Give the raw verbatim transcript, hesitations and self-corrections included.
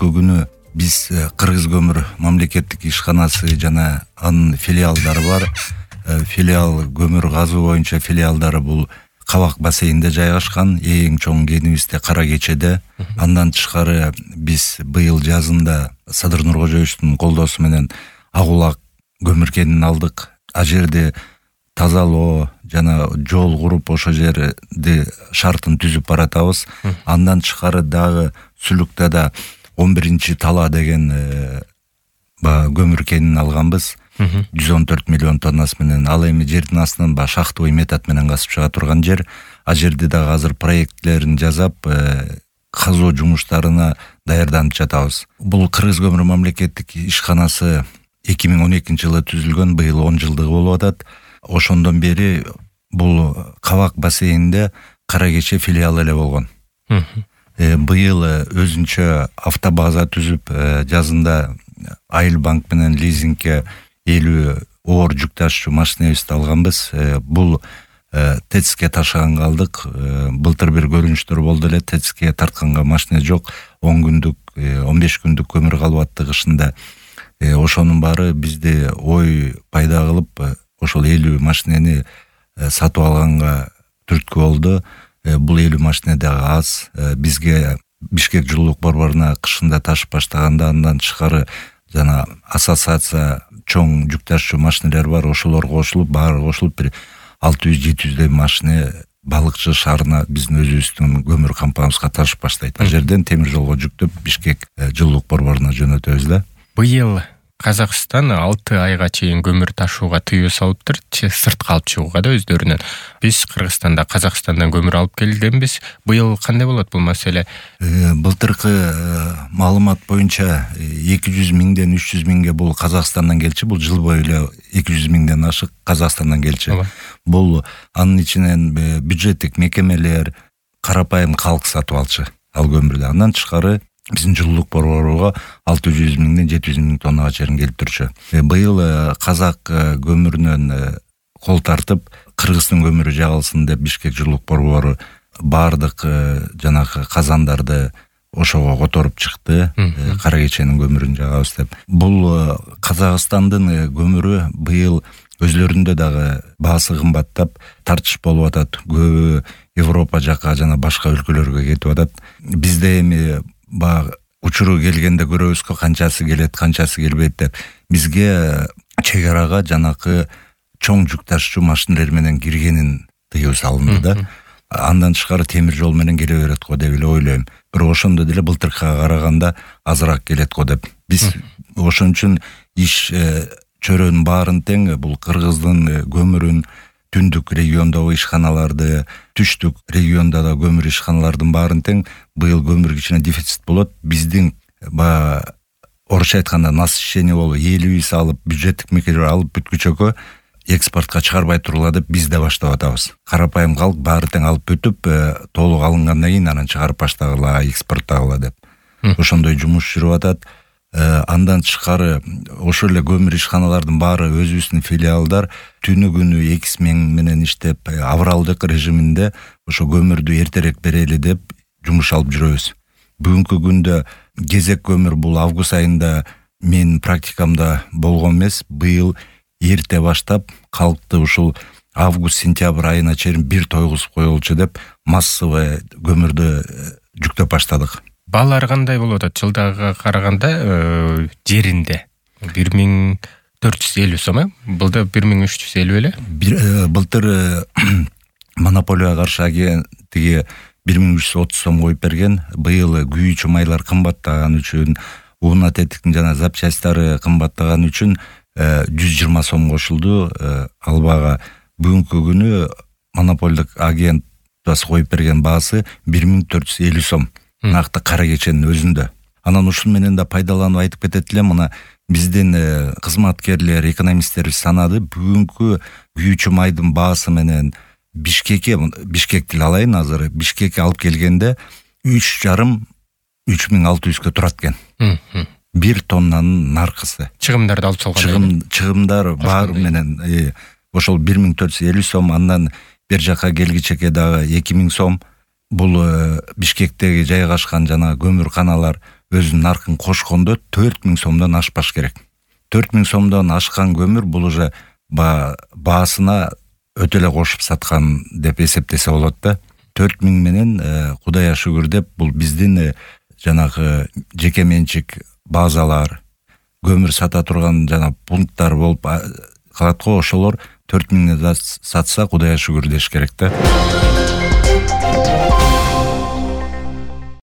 бүгүнкү күнү биз Кыргыз көмүр мамлекеттик ишканасы жана анын филиалдары бар. Филиал көмүр казуу боюнча филиалдары бул Кабак бассейнинде жайгашкан, эң чоң кенибизде Кара Кечеде. Андан тышкары биз быйыл жазында Садыр Нуркожоевичтин колдоосу менен Агулак көмүр кенин алдык. А жерде тазалоо жана жол куруп ошол жерди шартын түзүп баратабыз. Андан тышкары дагы Сүлүктада он биринчи тала деген баягы көмүр кенин алганбыз. жүз он төрт миллион тоннасы менен. Ал эми жердин астынан баягы шахтовый метод менен казып чыга турган жер. А жерде дагы азыр проектлерин жасап, казуу жумуштарына даярданып жатабыз. Бул Кыргыз көмүр мамлекеттик ишканасы эки миң он экинчи жылы түзүлгөн, быйыл он жылдыгы болуп атат. Ошондон бери бул Кабак бассейнинде Кара Кече филиалы эле болгон. Быйыл өзүнчө автобаза түзүп, жазында Айыл банк менен лизингке элүү оор жүк ташуучу машинебизди алганбыз. Бул ТЭЦке ташыганга алдык. Былтыр бир көрүнүштөр болду эле, ТЭЦке тартканга машина жок. он күндүк, он беш күндүк көмүр калып атты кышында. Ошонун баары бизди ой пайда кылып, ошол элүү машинени сатып алганга түрткү болду. Бул элүү машина дагы аз. Бизге Бишкек жылуулук борборуна кышында ташып баштаганда, андан тышкары жана ассоциация чоң жүк ташуучу машинелер бар, ошолор кошулуп, баары кошулуп бир алты жүз жети жүздөй машина Балыкчы шаарына биздин өзүбүздүн көмүр компаниябызга ташып баштайт. А жерден темир жолго жүктөп Бишкек жылуулук борборуна жөнөтөбүз да. Быйыл Казакстан алты айга чейин көмүр ташууга тыюу салыптыр, сыртка алып чыгууга да өздөрүнөн. Биз Кыргызстанда Казакстандан көмүр алып келгенбиз. Быйыл кандай болот бул маселе? Былтыркы маалымат боюнча эки жүз миңден үч жүз миңге бул Казакстандан келчү, бул жыл бою эле эки жүз миңден ашык Казакстандан келчү. Бул анын ичинен бюджеттик мекемелер, карапайым калк сатып алчы ал көмүрдү. Андан тышкары биздин жылуулук борборуга алты жүз миңден жети жүз миң тоннага чейин келип турчу. Быйыл казак көмүрүнөн кол тартып, Кыргыздын көмүрү жагылсын деп Бишкек жылуулук борбору баардык жанагы казандарды ошого которуп чыкты. Кара Кеченин көмүрүн жагабыз деп. Бул Казакстандын көмүрү быйыл өзлөрүндө дагы баасы кымбаттап, тартыш болуп атат. Көбү Европа жака жана башка өлкөлөргө кетип атат. Бизде эми ба учуру келгенде көрөбүзкө, канчасы келет, канчасы келбейт деп. Бизге чек арага жанакы чоң жүк ташуучу машинелер менен киргенин тыюу салынды да. Андан тышкары темир жол менен келе берет го деп эле ойлойм. Бирок ошондо деле былтыркыга караганда азыраак келет го деп. Биз ошон үчүн иш чөрөнүн баарын тең бул Кыргыздын көмүрүн түндүк региондогу ишканаларды, түштүк региондо да көмүр ишканалардын баарын тең быйыл көмүр кичине дефицит болот. Биздин ба орусча айтканда насыщение болуп, элибиз алып, бюджеттик мекемелер алып бүткүчөккө экспортко чыгарбай тургула деп биз да баштап атабыз. Карапайым калк баары тең алып бүтүп, толук алынгандан кийин анан чыгарып баштагыла, экспорттагыла деп. Ошондой жумуш жүрүп атат. Андан тышкары ошол эле көмүр ишканалардын баары өзүбүздүн филиалдар түнү күнү эки смен менен иштеп, авралдык режиминде ошо көмүрдү эртерээк берели деп жумуш алып жүрөбүз. Бүгүнкү күндө кезек көмүр бул август айында мен практикамда болгон эмес. Быйыл эрте баштап калкты ушул август-сентябрь айына чейин бир тойгузуп коелучу деп массовый көмүрдү жүктөп баштадык. Баалар кандай болуп атат? Жылдагыга караганда жеринде бир миң төрт жүз элүү сом, э? Былда бир миң үч жүз элүү эле. Былтыр монополияга каршы агенттиги бир миң үч жүз отуз сом коюп берген. Быйыл күйүүчү майлар кымбаттаган үчүн, уунат этиктин жана запчасттары кымбаттаган үчүн жүз жыйырма сом кошулду. Ал баага бүгүнкү күнү монополдук агенттик коюп берген баасы бир миң төрт жүз элүү сом. Накты Кара Кеченин өзүндө. Анан ушул менен да пайдаланып айтып кетет элем, мына биздин кызматкерлер, экономисттер санады. Бүгүнкү күйүүчү майдын баасы менен Бишкекке, Бишкекти алайын азыр, Бишкекке алып келгенде үч жарым үч миң алты жүзгө турат экен. Бир тоннанын наркысы. Чыгымдарды алып салганда. Чыгым, чыгымдар баары менен ошол бир миң төрт жүз элүү сом, андан бер жака келгичеке дагы эки миң сом. Бул Бишкектеги жайгашкан жана көмүр каналар өзүнүн наркын кошкондо төрт миң сомдон ашпаш керек. төрт миң сомдон ашкан көмүр бул уже баасына өтө эле кошуп саткан деп эсептесе болот да. төрт миң менен Кудайга шүгүр деп бул биздин жанагы жеке менчик базалар, көмүр сата турган жана пункттар болуп калат го, ошолор төрт миңден сатса Кудайга шүгүр деш керек да.